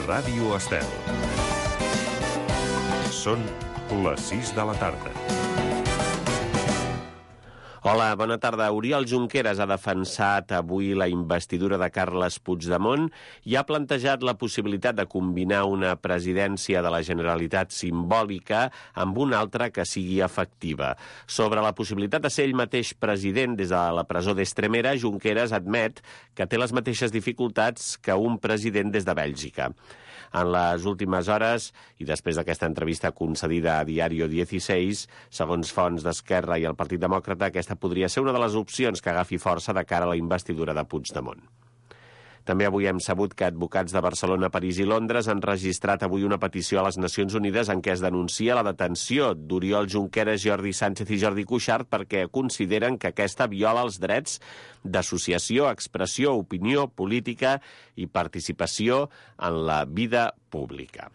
Ràdio Estel. Són les 6 de la tarda. Hola, bona tarda. Oriol Junqueras ha defensat avui la investidura de Carles Puigdemont i ha plantejat la possibilitat de combinar una presidència de la Generalitat simbòlica amb una altra que sigui efectiva. Sobre la possibilitat de ser ell mateix president des de la presó d'Estremera, Junqueras admet que té les mateixes dificultats que un president des de Bèlgica. En les últimes hores, i després d'aquesta entrevista concedida a Diario 16, segons fonts d'Esquerra i el Partit Demòcrata, aquesta podria ser una de les opcions que agafi força de cara a la investidura de Puigdemont. També avui hem sabut que advocats de Barcelona, París i Londres han registrat avui una petició a les Nacions Unides en què es denuncia la detenció d'Oriol Junqueras, Jordi Sánchez i Jordi Cuixart perquè consideren que aquesta viola els drets d'associació, expressió, opinió política i participació en la vida pública.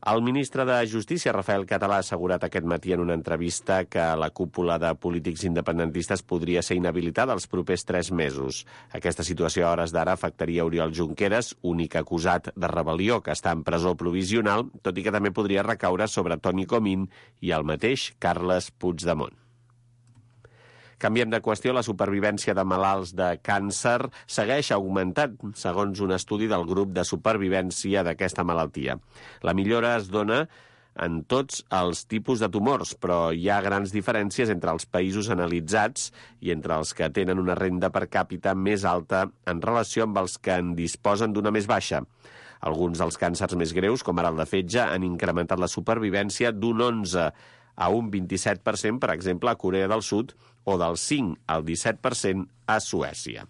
El ministre de Justícia, Rafael Català, ha assegurat aquest matí en una entrevista que la cúpula de polítics independentistes podria ser inhabilitada els propers 3 mesos. Aquesta situació a hores d'ara afectaria Oriol Junqueras, únic acusat de rebel·lió que està en presó provisional, tot i que també podria recaure sobre Toni Comín i el mateix Carles Puigdemont. Canviem de qüestió. La supervivència de malalts de càncer segueix augmentant, segons un estudi del grup de supervivència d'aquesta malaltia. La millora es dona en tots els tipus de tumors, però hi ha grans diferències entre els països analitzats i entre els que tenen una renda per càpita més alta en relació amb els que en disposen d'una més baixa. Alguns dels càncers més greus, com ara el de fetge, han incrementat la supervivència d'un 11 a un 27%, per exemple, a Corea del Sud, o del 5 al 17% a Suècia.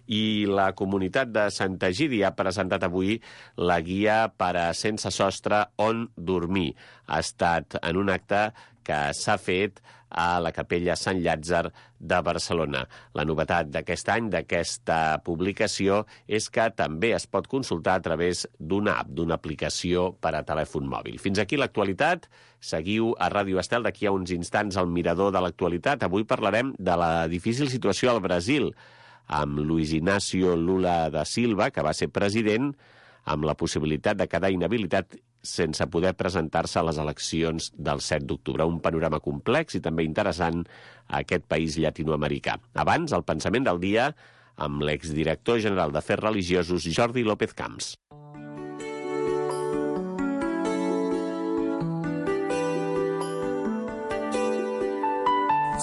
I la comunitat de Sant Egidi ha presentat avui la guia per a sense sostre on dormir. Ha estat en un acte que s'ha fet a la Capella Sant Llàtzer de Barcelona. La novetat d'aquest any, d'aquesta publicació, és que també es pot consultar a través d'una app, d'una aplicació per a telèfon mòbil. Fins aquí l'actualitat. Seguiu a Ràdio Estel. D'aquí a uns instants al Mirador de l'actualitat. Avui parlarem de la difícil situació al Brasil, amb Luis Inácio Lula da Silva, que va ser president, amb la possibilitat de quedar inhabilitat sense poder presentar-se a les eleccions del 7 d'octubre. Un panorama complex i també interessant a aquest país llatinoamericà. Abans, el pensament del dia amb l'exdirector general d'Afers Religiosos, Jordi López Camps.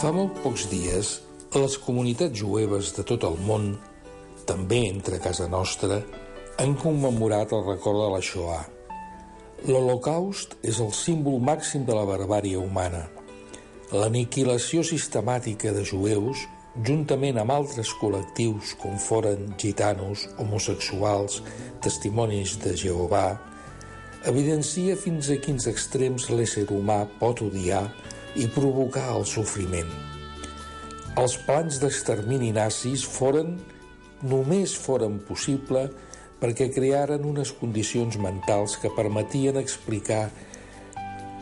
Fa molt pocs dies, les comunitats jueves de tot el món, també entre casa nostra, han commemorat el record de la Shoah. L'Holocaust és el símbol màxim de la barbàrie humana. L'aniquilació sistemàtica de jueus, juntament amb altres col·lectius com foren gitanos, homosexuals, testimonis de Jehovà, evidencia fins a quins extrems l'ésser humà pot odiar i provocar el sofriment. Els plans d'extermini nazis només foren possible perquè crearen unes condicions mentals que permetien explicar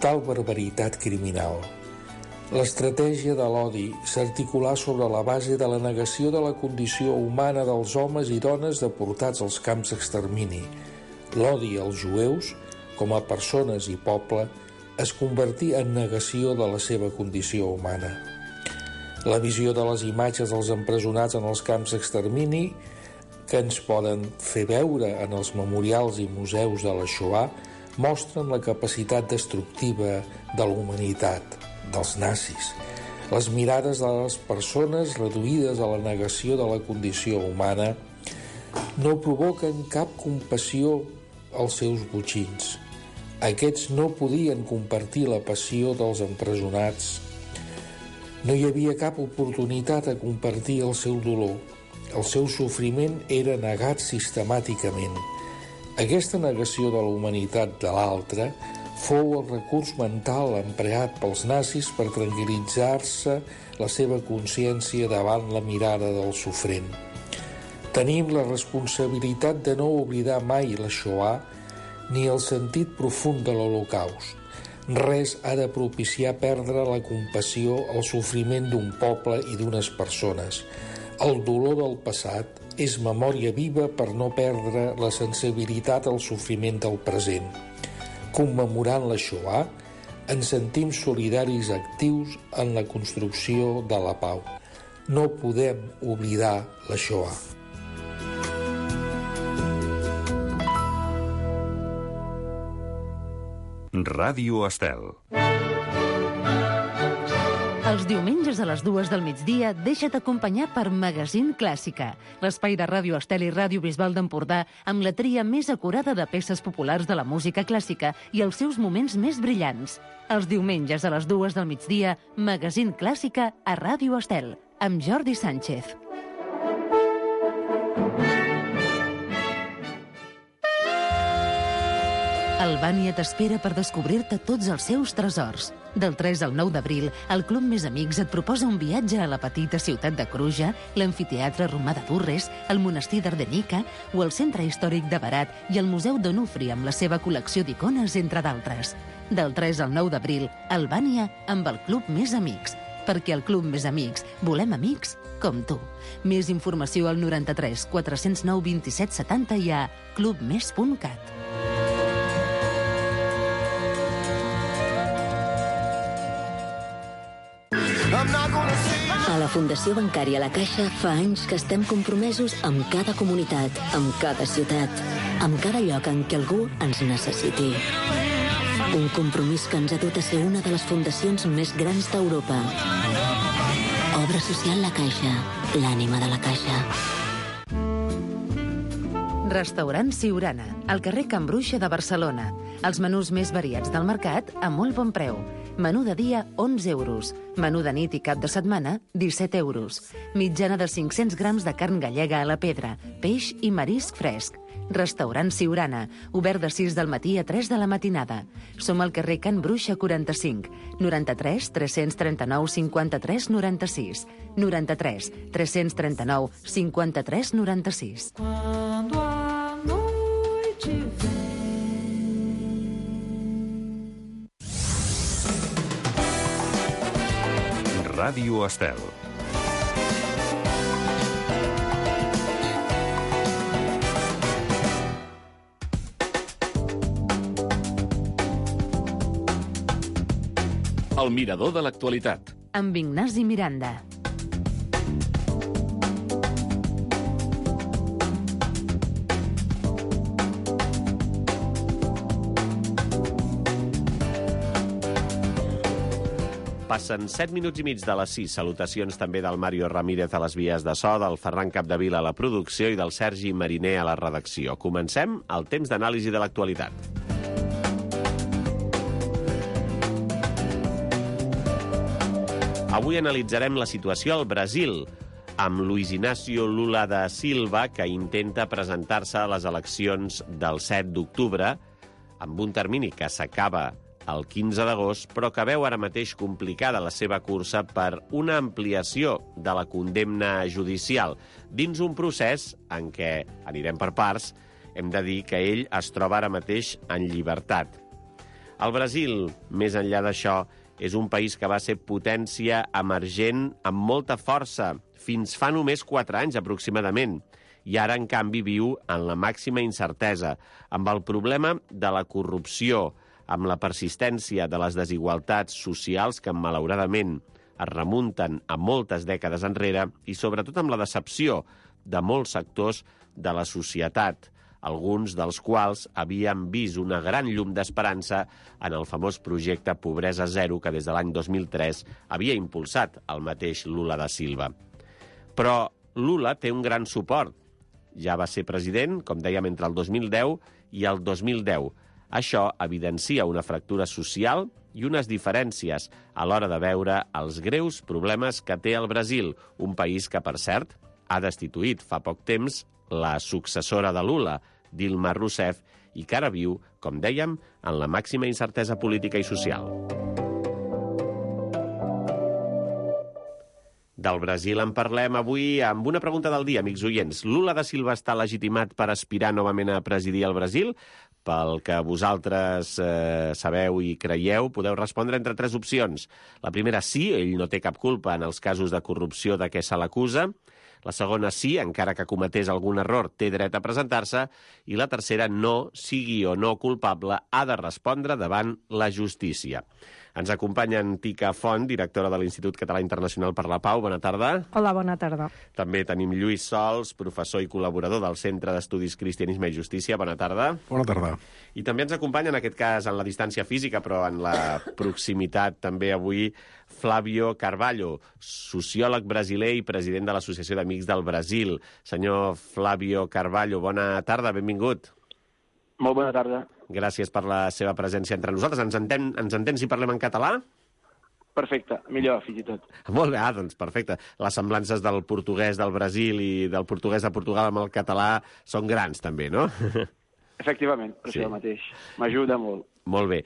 tal barbaritat criminal. L'estratègia de l'odi s'articulà sobre la base de la negació de la condició humana dels homes i dones deportats als camps d'extermini. L'odi als jueus, com a persones i poble, es convertí en negació de la seva condició humana. La visió de les imatges dels empresonats en els camps d'extermini que ens poden fer veure en els memorials i museus de la Shoah mostren la capacitat destructiva de la humanitat, dels nazis. Les mirades de les persones reduïdes a la negació de la condició humana no provoquen cap compassió als seus botxins. Aquests no podien compartir la passió dels empresonats. No hi havia cap oportunitat a compartir el seu dolor. El seu sofriment era negat sistemàticament. Aquesta negació de la humanitat de l'altre fou el recurs mental empleat pels nazis per tranquil·litzar-se la seva consciència davant la mirada del sofrent. Tenim la responsabilitat de no oblidar mai la Shoah ni el sentit profund de l'Holocaust. Res ha de propiciar perdre la compassió al sofriment d'un poble i d'unes persones. El dolor del passat és memòria viva per no perdre la sensibilitat al sofriment del present. Commemorant la Shoah, ens sentim solidaris actius en la construcció de la pau. No podem oblidar la Shoah. Ràdio Estel. Els diumenges a les 2 del migdia deixa't acompanyar per Magazine Clàssica, l'espai de Ràdio Estel i Ràdio Bisbal d'Empordà amb la tria més acurada de peces populars de la música clàssica i els seus moments més brillants. Els diumenges a les 2 del migdia, Magazine Clàssica a Ràdio Estel, amb Jordi Sánchez. Albània t'espera per descobrir-te tots els seus tresors. Del 3 al 9 d'abril, el Club Més Amics et proposa un viatge a la petita ciutat de Cruja, l'amfiteatre romà de Durres, el monestir d'Ardenica o el centre històric de Berat i el Museu d'Onufri amb la seva col·lecció d'icones, entre d'altres. Del 3 al 9 d'abril, Albània amb el Club Més Amics. Perquè al Club Més Amics volem amics com tu. Més informació al 93 409 27 70 i a clubmes.cat. A la Fundació Bancària La Caixa fa anys que estem compromesos amb cada comunitat, amb cada ciutat, amb cada lloc en què algú ens necessiti. Un compromís que ens ha dut a ser una de les fundacions més grans d'Europa. Obra social La Caixa, l'ànima de la Caixa. Restaurant Siurana, al carrer Can Bruixa de Barcelona. Els menús més variats del mercat a molt bon preu. Menú de dia, 11 euros. Menú de nit i cap de setmana, 17 euros. Mitjana de 500 grams de carn gallega a la pedra, peix i marisc fresc. Restaurant Siurana, obert de 6 del matí a 3 de la matinada. Som al carrer Can Bruixa 45, 93 339 53 96, 93 339 53 96. Quando a noite vem. Ràdio Estel. El mirador de l'actualitat. Amb Ignasi Miranda. Passen 7 minuts i mig de les 6. Salutacions també del Mario Ramírez a les vies de so, del Ferran Capdevila a la producció i del Sergi Mariner a la redacció. Comencem el temps d'anàlisi de l'actualitat. Avui analitzarem la situació al Brasil, amb Luiz Inácio Lula da Silva, que intenta presentar-se a les eleccions del 7 d'octubre, amb un termini que s'acaba el 15 d'agost, però que veu ara mateix complicada la seva cursa per una ampliació de la condemna judicial, dins un procés en què, anirem per parts, hem de dir que ell es troba ara mateix en llibertat. El Brasil, més enllà d'això, és un país que va ser potència emergent amb molta força, fins fa només 4 anys aproximadament, i ara, en canvi, viu en la màxima incertesa, amb el problema de la corrupció, amb la persistència de les desigualtats socials que, malauradament, es remunten a moltes dècades enrere i, sobretot, amb la decepció de molts sectors de la societat, alguns dels quals havien vist una gran llum d'esperança en el famós projecte Pobresa Zero que des de l'any 2003 havia impulsat el mateix Lula da Silva. Però Lula té un gran suport. Ja va ser president, com dèiem, entre el 2010 i el 2010. Això evidencia una fractura social i unes diferències a l'hora de veure els greus problemes que té el Brasil, un país que, per cert, ha destituït fa poc temps la successora de Lula, Dilma Rousseff, i que ara viu, com dèiem, en la màxima incertesa política i social. Del Brasil en parlem avui amb una pregunta del dia, amics oients. Lula da Silva està legitimat per aspirar novament a presidir el Brasil? Pel que vosaltres sabeu i creieu, podeu respondre entre 3 opcions. La primera, sí, ell no té cap culpa en els casos de corrupció de què se l'acusa. La segona, sí, encara que cometés algun error, té dret a presentar-se. I la tercera, no, sigui o no culpable, ha de respondre davant la justícia. Ens acompanya Tica Font, directora de l'Institut Català Internacional per la Pau. Bona tarda. Hola, bona tarda. També tenim Lluís Sols, professor i col·laborador del Centre d'Estudis Cristianisme i Justícia. Bona tarda. Bona tarda. I també ens acompanya, en aquest cas, en la distància física, però en la proximitat també avui, Flávio Carvalho, sociòleg brasiler i president de l'Associació d'Amics del Brasil. Senyor Flávio Carvalho, bona tarda, benvingut. Molt bona tarda. Gràcies per la seva presència entre nosaltres. Ens entén si parlem en català? Perfecte, millor, fins i tot. Molt bé, doncs perfecte. Les semblances del portuguès del Brasil i del portuguès de Portugal amb el català són grans, també, no? Efectivament, per això mateix. M'ajuda molt. Molt bé.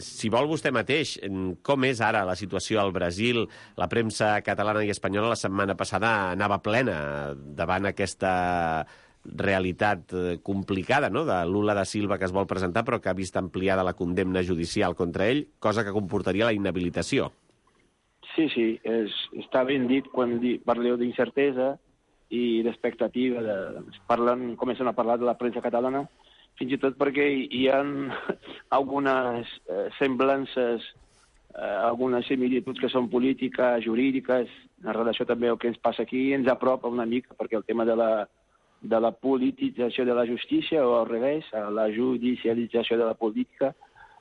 Si vol vostè mateix, com és ara la situació al Brasil? La premsa catalana i espanyola la setmana passada anava plena davant aquesta realitat complicada, no?, de Lula da Silva que es vol presentar però que ha vist ampliada la condemna judicial contra ell, cosa que comportaria la inhabilitació. Sí, està ben dit quan parleu d'incertesa i d'expectativa. Comencen a parlar de la premsa catalana, fins i tot perquè hi ha algunes semblances, algunes similituds que són polítiques, jurídiques, en relació també al que ens passa aquí, ens apropa una mica, perquè el tema de la politització de la justícia, o al revés, la judicialització de la política,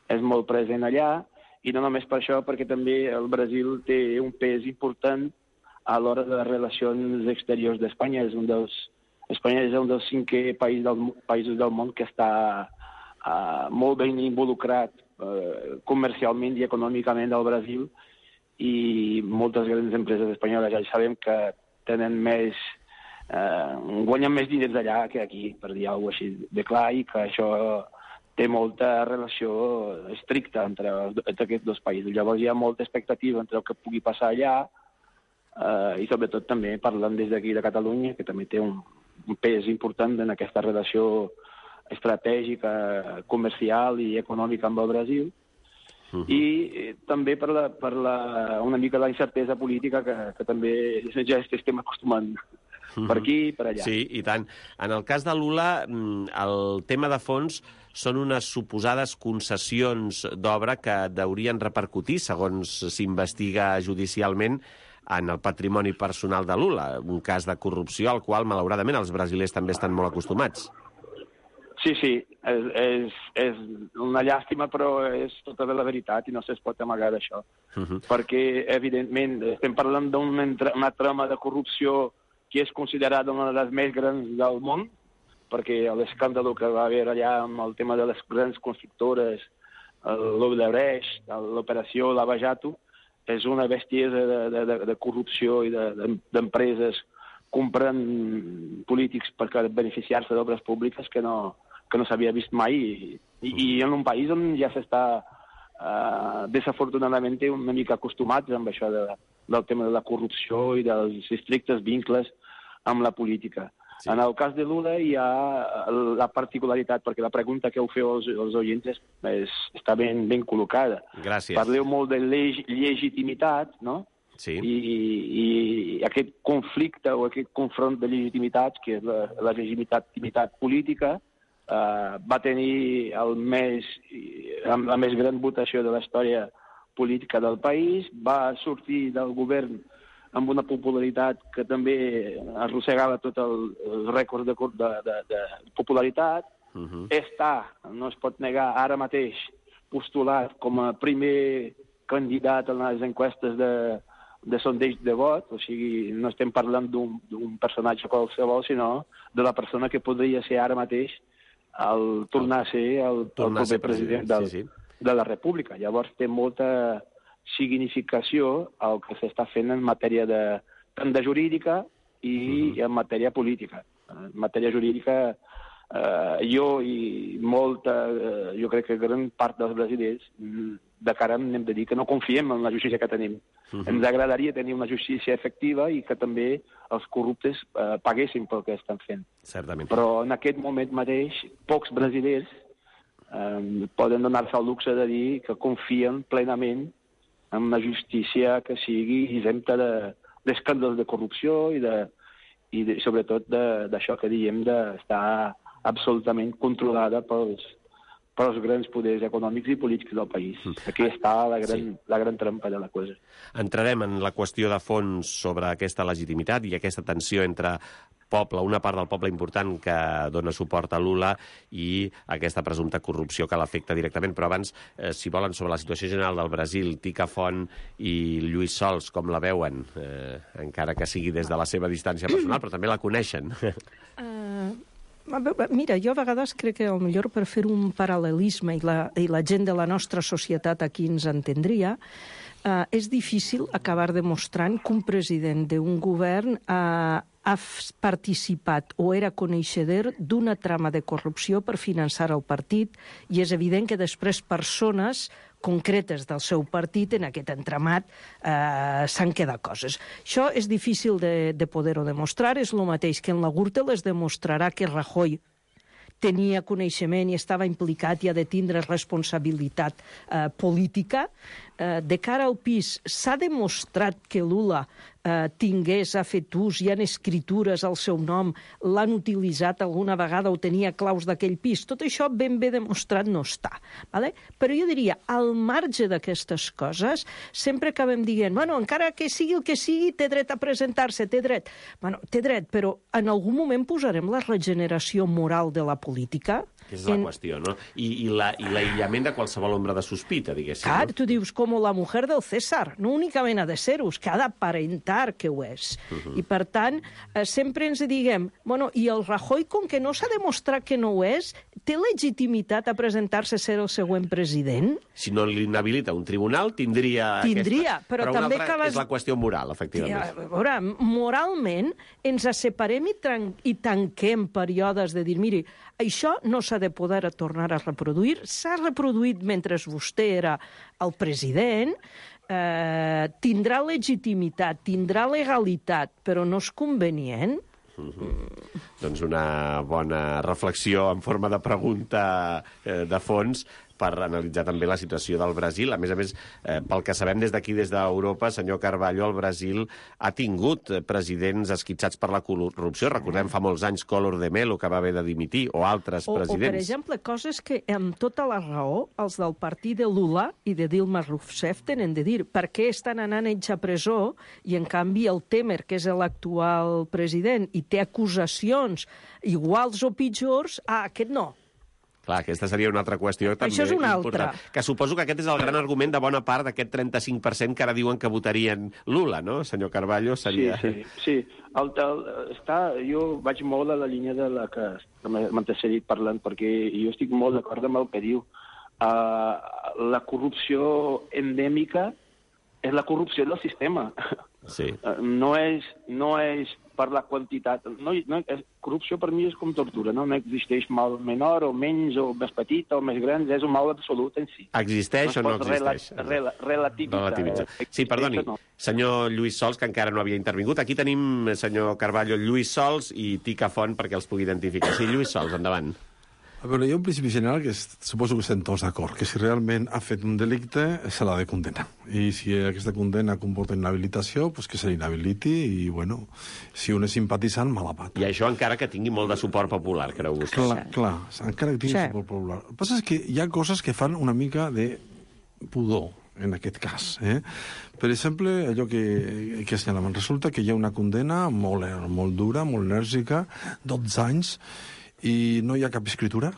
és molt present allà, i no només per això, perquè també el Brasil té un pes important a l'hora de les relacions exteriors d'Espanya. Espanya és un dels 5 països del món que està molt ben involucrat comercialment i econòmicament al Brasil, i moltes grans empreses espanyoles ja sabem que tenen guanyen més diners allà que aquí, per dir alguna cosa així de clar, i que això té molta relació estricta entre aquests dos països. Llavors hi ha molta expectativa entre el que pugui passar allà, i sobretot també parlant des d'aquí de Catalunya, que també té un pes important en aquesta relació estratègica, comercial i econòmica amb el Brasil, i també per una mica la incertesa política que també ja estem acostumant per aquí, per allà. Sí, i tant. En el cas de Lula, el tema de fons són unes suposades concessions d'obra que haurien repercutir, segons s'investiga judicialment, en el patrimoni personal de Lula, un cas de corrupció al qual, malauradament, els brasilers també estan molt acostumats. Sí, és una llàstima, però és tota la veritat i no es pot amagar d'això. Perquè, evidentment, estem parlant d'una trama de corrupció que és considerada una de les més grans del món, perquè l'escàndol que va haver allà amb el tema de les grans constructores, l'Odebrecht, l'operació Lava Jato, és una bestiesa de corrupció i d'empreses comprant polítics per beneficiar-se d'obres públiques que no s'havia vist mai, i en un país on ja s'està desafortunadament una mica acostumats amb això del tema de la corrupció i dels estrictes vincles amb la política. Sí. En el cas de Lula hi ha la particularitat, perquè la pregunta que heu fet als oients està ben col·locada. Gràcies. Parleu molt de legitimitat, no? Sí. I aquest conflicte o aquest confront de legitimitats, que és la legitimitat política, va tenir la més gran votació de la història política del país, va sortir del govern amb una popularitat que també arrossegava tot el rècord de popularitat. No es pot negar, ara mateix postulat com a primer candidat en les enquestes de sondeig de vot, o sigui, no estem parlant d'un personatge qualsevol, sinó de la persona que podria ser ara mateix tornar a ser el proper president de la República. Llavors té molta significació el que s'està fent en matèria tant de jurídica i en matèria política. En matèria jurídica, jo crec que gran part dels brasilers de cara hem de dir que no confiem en la justícia que tenim. Ens agradaria tenir una justícia efectiva i que també els corruptes paguessin pel que estan fent. Certament. Però en aquest moment mateix, pocs brasilers poden donar-se el luxe de dir que confien plenament en una justícia que sigui exempta d'escàndols de corrupció i sobretot d'això que diem d'estar absolutament controlada pels grans poders econòmics i polítics del país. Aquí està la gran trampa de la cosa. Entrarem en la qüestió de fons sobre aquesta legitimitat i aquesta tensió entre una part del poble important que dona suport a Lula i aquesta presumpta corrupció que l'afecta directament. Però abans, si volen, sobre la situació general del Brasil, Tica Font i Lluís Sols, com la veuen? Encara que sigui des de la seva distància personal, però també la coneixen. Mira, jo a vegades crec que millor per fer un paral·lelisme i la gent de la nostra societat aquí ens entendria, és difícil acabar demostrant que un president d'un govern ha participat o era coneixedor d'una trama de corrupció per finançar el partit, i és evident que després persones concretes del seu partit en aquest entramat s'han quedat coses. Això és difícil de poder-ho demostrar, és el mateix que en la Gürtel es demostrarà que Rajoy tenia coneixement i estava implicat i ha de tindre responsabilitat política. De cara al pis, s'ha demostrat que Lula ha fet ús, hi ha escritures al seu nom, l'han utilitzat alguna vegada o tenia claus d'aquell pis. Tot això ben bé demostrat no està. Vale? Però jo diria, al marge d'aquestes coses, sempre acabem dient, bueno, encara que sigui el que sigui, té dret a presentar-se, té dret. Bueno, té dret, però en algun moment posarem la regeneració moral de la política. És la qüestió, no? I l'aïllament de qualsevol ombra de sospita, diguéssim. Clar, tu dius, com la mujer del César, no únicament ha de ser-ho, que ha d'aparentar que ho és. I, per tant, sempre ens diguem, bueno, i el Rajoy, com que no s'ha demostrat que no ho és, té legitimitat a presentar-se a ser el següent president? Si no l'inhabilita un tribunal, tindria però també una altra és la qüestió moral, efectivament. A veure, moralment, ens separem i tanquem períodes de dir, miri, això no s'ha de poder tornar a reproduir, s'ha reproduït mentre vostè era el president, tindrà legitimitat, tindrà legalitat, però no és convenient. Doncs una bona reflexió en forma de pregunta de fons per analitzar també la situació del Brasil. A més, pel que sabem des d'aquí, des d'Europa, senyor Carballo, el Brasil ha tingut presidents esquitxats per la corrupció. Recordem fa molts anys Collor de Mello, que va haver de dimitir, o altres presidents. O, per exemple, coses que, amb tota la raó, els del partit de Lula i de Dilma Rousseff tenen de dir per què estan anant ells a presó i, en canvi, el Temer, que és l'actual president, i té acusacions iguals o pitjors, aquest no. Clar, aquesta seria una altra qüestió també això és una important. Altra. Que suposo que aquest és el gran argument de bona part d'aquest 35% que ara diuen que votarien Lula, no, senyor Carballo? Seria... Sí. Jo vaig molt a la línia de la que m'antecedit parlant, perquè jo estic molt d'acord amb el que diu. La corrupció endèmica és la corrupció del sistema. Sí. No és per la quantitat. Corrupció per mi és com tortura, no existeix mal menor o menys o més petit o més gran, és un mal absolut en si. Existeix o no existeix? Relativitzar. Sí, perdoni, senyor Lluís Sols, que encara no havia intervingut. Aquí tenim, senyor Carballo, Lluís Sols i Tica Font perquè els pugui identificar. Sí, Lluís Sols, endavant. A veure, hi ha un principi general que suposo que estem tots d'acord, que si realment ha fet un delicte se l'ha de condenar. I si aquesta condena comporta inhabilitació, doncs que se l'inhabiliti i, bueno, si un és simpatitzant, mala pata. I això encara que tingui molt de suport popular, creu vostè? Clar, encara que tingui suport popular. El que passa és que hi ha coses que fan una mica de pudor, en aquest cas. Per exemple, allò que assenyalaven, resulta que hi ha una condena molt dura, molt enèrgica, 12 anys, i no hi ha cap escritura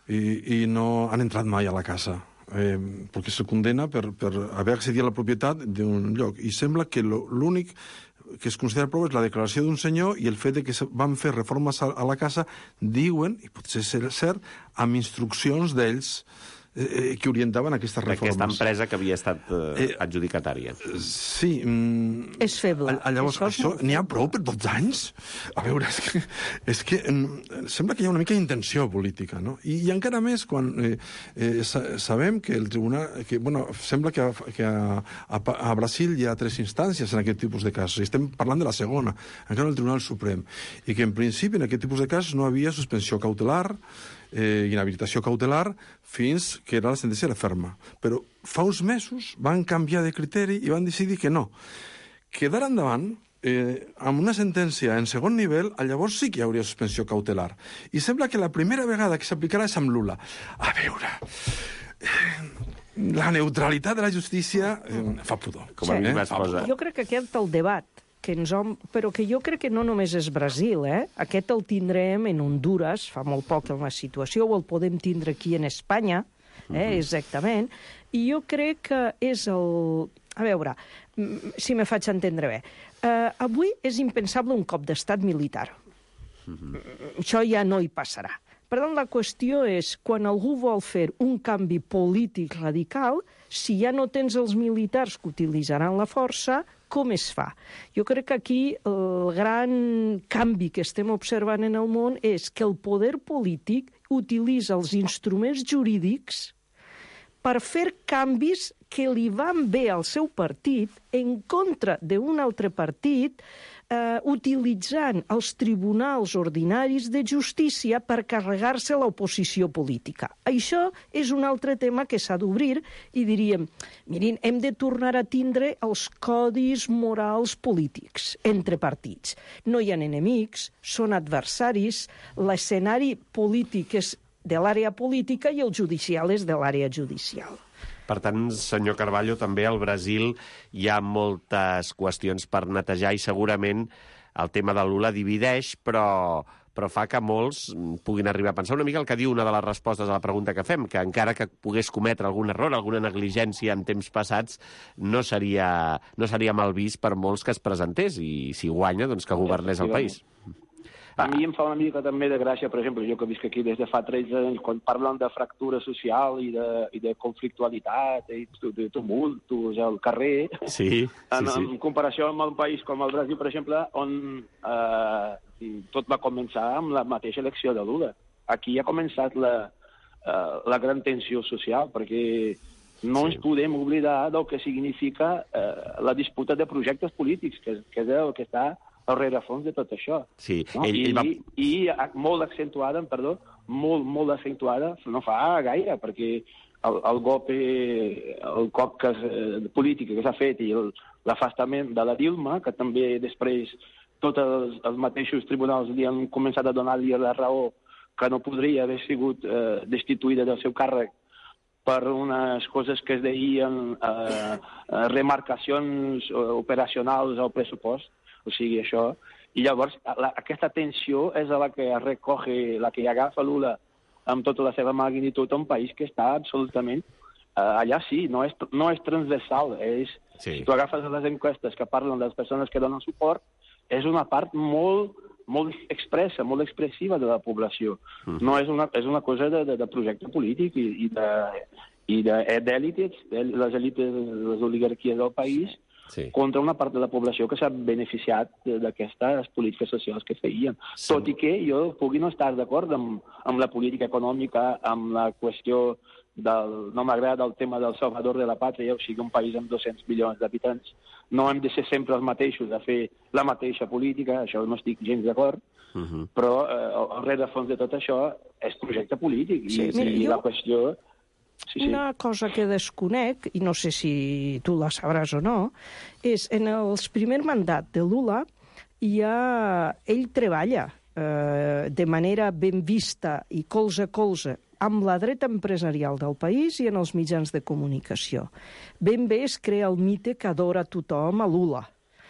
i no han entrat mai a la casa perquè se condena per haver accedit a la propietat d'un lloc, i sembla que l'únic que es considera prou és la declaració d'un senyor i el fet de que van fer reformes a la casa, diuen, i potser ser cert, amb instruccions d'ells que orientaven aquestes reformes. Aquesta empresa que havia estat adjudicatària. Sí. És feble. Llavors, això n'hi ha prou per 12 anys? A veure, és que sembla que hi ha una mica d'intenció política, no? I encara més quan sabem que el tribunal... sembla que a Brasil hi ha 3 instàncies en aquest tipus de casos, i estem parlant de la segona, encara el Tribunal Suprem, i que en principi en aquest tipus de casos no havia suspensió cautelar, inhabilitació cautelar, fins que era la sentència era ferma. Però fa uns mesos van canviar de criteri i van decidir que no, que d'ara endavant, amb una sentència en segon nivell, llavors sí que hi hauria suspensió cautelar. I sembla que la primera vegada que s'aplicarà és amb Lula. A veure, la neutralitat de la justícia fa pudor. Com a mi m'exposa. Jo crec que aquest el debat, però que jo crec que no només és Brasil, aquest el tindrem en Honduras, fa molt poc en la situació, o el podem tindre aquí en Espanya, exactament, i jo crec que és el... A veure, si me faig entendre bé. Avui és impensable un cop d'estat militar. Això ja no hi passarà. Per tant, la qüestió és, quan algú vol fer un canvi polític radical, si ja no tens els militars que utilitzaran la força, com es fa? Jo crec que aquí el gran canvi que estem observant en el món és que el poder polític utilitza els instruments jurídics per fer canvis que li van bé al seu partit en contra d'un altre partit, utilitzant els tribunals ordinaris de justícia per carregar-se l'oposició política. Això és un altre tema que s'ha d'obrir i diríem, mirin, hem de tornar a tindre els codis morals polítics entre partits. No hi ha enemics, són adversaris, l'escenari polític és de l'àrea política i el judicial és de l'àrea judicial. Per tant, senyor Carballo, també al Brasil hi ha moltes qüestions per netejar i segurament el tema de Lula divideix, però fa que molts puguin arribar a pensar una mica el que diu una de les respostes a la pregunta que fem, que encara que pogués cometre algun error, alguna negligència en temps passats, no seria mal vist per molts que es presentés i si guanya, doncs que governés el país. A mi em fa una mica també de gràcia, per exemple, jo que visc aquí des de fa 13 anys, quan parlen de fractura social i de conflictualitat i de tumultos al carrer, en comparació amb un país com el Brasil, per exemple, on tot va començar amb la mateixa elecció de Lula. Aquí ha començat la gran tensió social, perquè no ens podem oblidar del que significa la disputa de projectes polítics, que és el que està al rerefons de tot això. Sí, no? I molt accentuada, molt accentuada, no fa gaire, perquè el cop polític que s'ha fet i l'afastament de la Dilma, que també després tots els mateixos tribunals li han començat a donar-li la raó que no podria haver sigut destituïda del seu càrrec per unes coses que es deien remarcacions operacionals al pressupost, o sigui, això. I llavors, aquesta tensió és la que recoge, la que agafa Lula amb tota la seva magnitud a un país que està absolutament allà sí, no és transversal. Si tu agafes les enquestes que parlen de les persones que donen suport, és una part molt expressa, molt expressiva de la població. No és una cosa de projecte polític i d'èlites, les èlites, les oligarquies del país, contra una part de la població que s'ha beneficiat d'aquestes polítiques socials que feien. Tot i que jo pugui no estar d'acord amb la política econòmica, amb la qüestió no m'agrada el tema del salvador de la pàtria, o sigui, un país amb 200 milions d'habitants. No hem de ser sempre els mateixos a fer la mateixa política, això no estic gens d'acord, però al rerefons de tot això és projecte polític i la qüestió... Una cosa que desconec, i no sé si tu la sabràs o no, és en els primer mandat de Lula ell treballa de manera ben vista i colze a colze amb la dreta empresarial del país i en els mitjans de comunicació. Ben bé es crea el mite que adora tothom a Lula.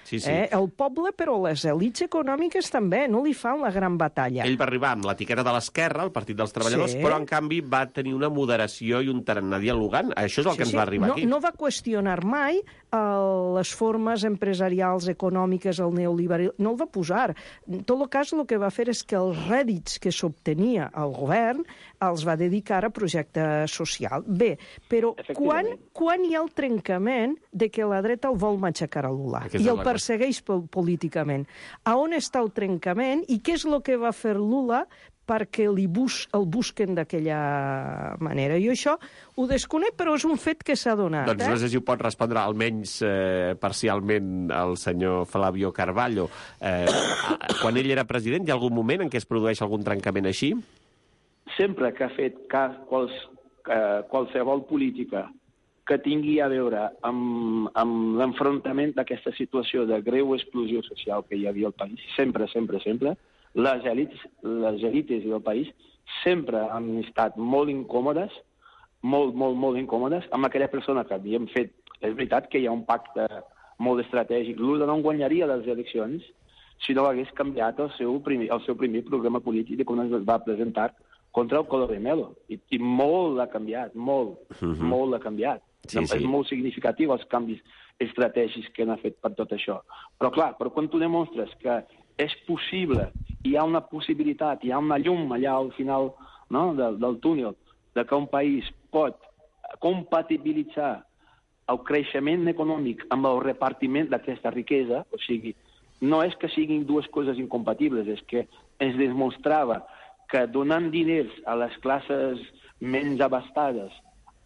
El poble, però les elits econòmiques també, no li fan la gran batalla. Ell va arribar amb l'etiqueta de l'esquerra, el Partit dels Treballadors, però en canvi va tenir una moderació i un tarannà dialogant. Això és el que ens va arribar aquí. No va qüestionar mai les formes empresarials, econòmiques, el neoliberalisme, no el va posar. En tot cas, el que va fer és que els rèdits que s'obtenia al govern els va dedicar a projecte social. Bé, però quan hi ha el trencament de que la dreta el vol matxacar a Lula i el persegueix políticament? A on està el trencament i què és el que va fer Lula perquè el busquen d'aquella manera? Jo això ho desconec, però és un fet que s'ha donat. Doncs no sé si ho pot respondre almenys parcialment el senyor Flavio Carballo. Quan ell era president, hi ha algun moment en què es produeix algun trencament així? Sempre que ha fet qualsevol política que tingui a veure amb l'enfrontament d'aquesta situació de greu explosió social que hi havia al país, sempre, les èlites del país sempre han estat molt incòmodes, molt incòmodes, amb aquella persona que havien fet. És veritat que hi ha un pacte molt estratègic. Lula no guanyaria les eleccions si no hagués canviat el seu primer programa polític de com es va presentar contra el Collor de Mello. I molt l'ha canviat, molt l'ha canviat. Sí. És molt significatiu els canvis estratègics que han fet per tot això. Però clar, quan tu demostres que és possible, hi ha una possibilitat, hi ha una llum allà al final, no, del túnel, de que un país pot compatibilitzar el creixement econòmic amb el repartiment d'aquesta riquesa, o sigui, no és que siguin dues coses incompatibles, és que ens demostrava que donant diners a les classes menys abastades,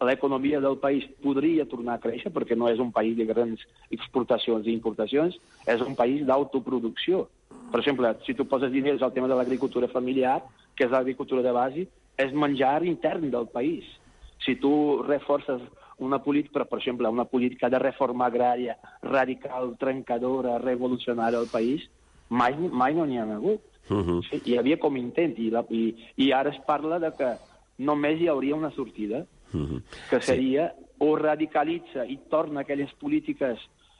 l'economia del país podria tornar a créixer, perquè no és un país de grans exportacions i importacions, és un país d'autoproducció. Per exemple, si tu poses diners al tema de l'agricultura familiar, que és l'agricultura de base, és menjar intern del país. Si tu reforces una política, per exemple, una política de reforma agrària radical, trencadora, revolucionària al país, mai no n'hi ha hagut. Sí, hi havia com intent, i ara es parla de que només hi hauria una sortida, que seria o radicalitza i torna aquelles polítiques,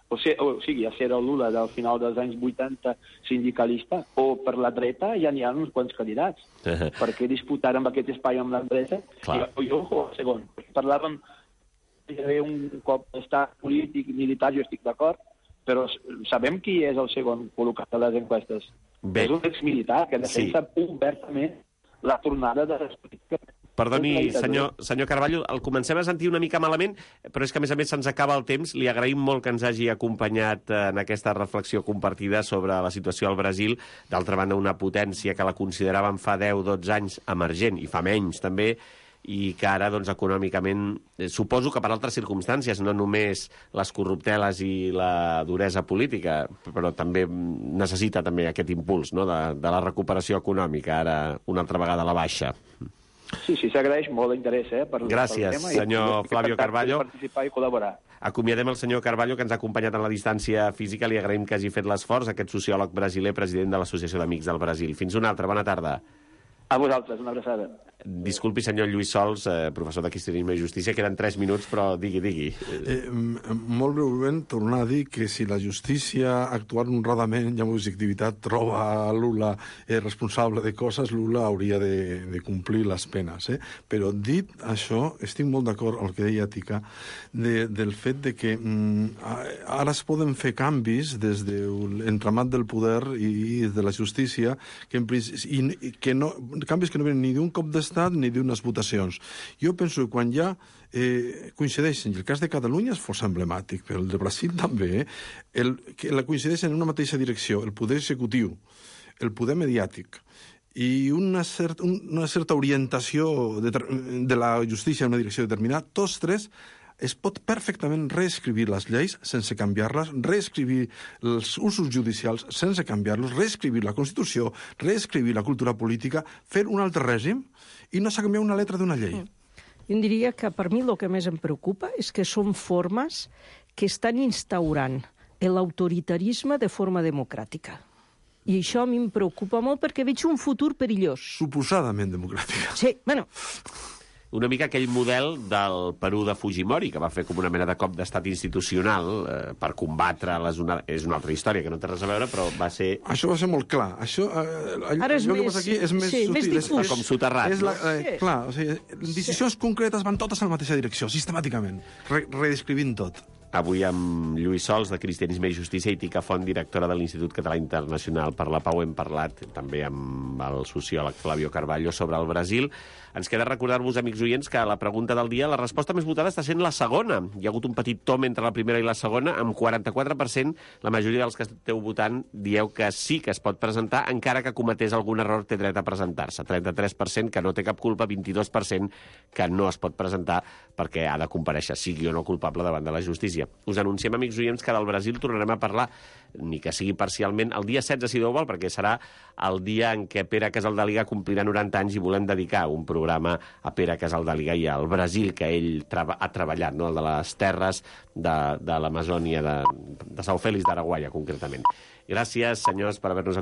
o sigui, a ser el Lula del final dels anys 80 sindicalista, o per la dreta ja n'hi ha uns quants candidats. Perquè disputar amb aquest espai amb la dreta, segon, parlàvem un cop d'estat polític, militar, jo estic d'acord, però sabem qui és el segon col·locat a les enquestes. És un exmilitar que defensa obertament la tornada de les polítiques. Perdoni, senyor Carballo, el comencem a sentir una mica malament, però és que, a més, se'ns acaba el temps. Li agraïm molt que ens hagi acompanyat en aquesta reflexió compartida sobre la situació al Brasil. D'altra banda, una potència que la consideràvem fa 10-12 anys emergent, i fa menys, també, i que ara, doncs, econòmicament, suposo que per altres circumstàncies, no només les corrupteles i la duresa política, però també necessita també aquest impuls, no?, de la recuperació econòmica, ara una altra vegada a la baixa. Sí, s'agraeix molt l'interès per Gràcies, tema, senyor Flavio Carballo. Participar i col·laborar. Acomiadem el senyor Carballo, que ens ha acompanyat en la distància física. Li agraïm que hagi fet l'esforç, aquest sociòleg brasiler, president de l'Associació d'Amics del Brasil. Fins una altra. Bona tarda. A vosaltres, una abraçada. Disculpi, senyor Lluís Sols, professor de Cristianisme i Justícia, queden 3 minuts, però digui. Molt breument, tornar a dir que si la justícia, actuant honradament i amb objectivitat, troba a Lula responsable de coses, Lula hauria de complir les penes. Però dit això, estic molt d'acord amb el que deia Tica, del fet de que ara es poden fer canvis des de l'entramat del poder i de la justícia, canvis que no venen ni d'un cop d'estat ni d'unes votacions. Jo penso que quan ja coincideixen, i el cas de Catalunya és força emblemàtic, però el de Brasil també, que coincideixen en una mateixa direcció, el poder executiu, el poder mediàtic, i una certa orientació de la justícia en una direcció determinada, tots tres es pot perfectament reescriure les lleis sense canviar-les, reescriure els usos judicials sense canviar-los, reescriure la Constitució, reescriure la cultura política, fer un altre règim i no s'ha canviat una lletra d'una llei. Jo diria que per mi el que més em preocupa és que són formes que estan instaurant l'autoritarisme de forma democràtica. I això a mi em preocupa molt perquè veig un futur perillós. Suposadament democràtica. Sí, bueno... Una mica aquell model del Perú de Fujimori, que va fer com una mena de cop d'estat institucional per combatre les és una altra història, que no té res a veure, però va ser... Això va ser molt clar. Això, ara és més... Aquí és més sutil. Més difús. Com soterrat, no? Clar, o sigui, decisions concretes van totes en la mateixa direcció, sistemàticament, redescrivint tot. Avui amb Lluís Sols, de Cristianisme i Justícia, i Tica Font, directora de l'Institut Català Internacional per la Pau, hem parlat també amb el sociòleg Flavio Carballo sobre el Brasil. Ens queda recordar-vos, amics oients, que la pregunta del dia, la resposta més votada està sent la segona. Hi ha hagut un petit tom entre la primera i la segona, amb 44%. La majoria dels que esteu votant dieu que sí que es pot presentar, encara que cometés algun error té dret a presentar-se. 33% que no té cap culpa, 22% que no es pot presentar perquè ha de comparèixer, sigui o no culpable davant de la justícia. independència. Us anunciem, amics oients, que del Brasil tornarem a parlar, ni que sigui parcialment, el dia 16, si Déu vol, perquè serà el dia en què Pere Casaldàliga complirà 90 anys i volem dedicar un programa a Pere Casaldàliga i al Brasil que ell ha treballat, no? El de les terres de l'Amazònia, de São Félix d'Araguaia, concretament. Gràcies, senyors, per haver-nos acompanyat.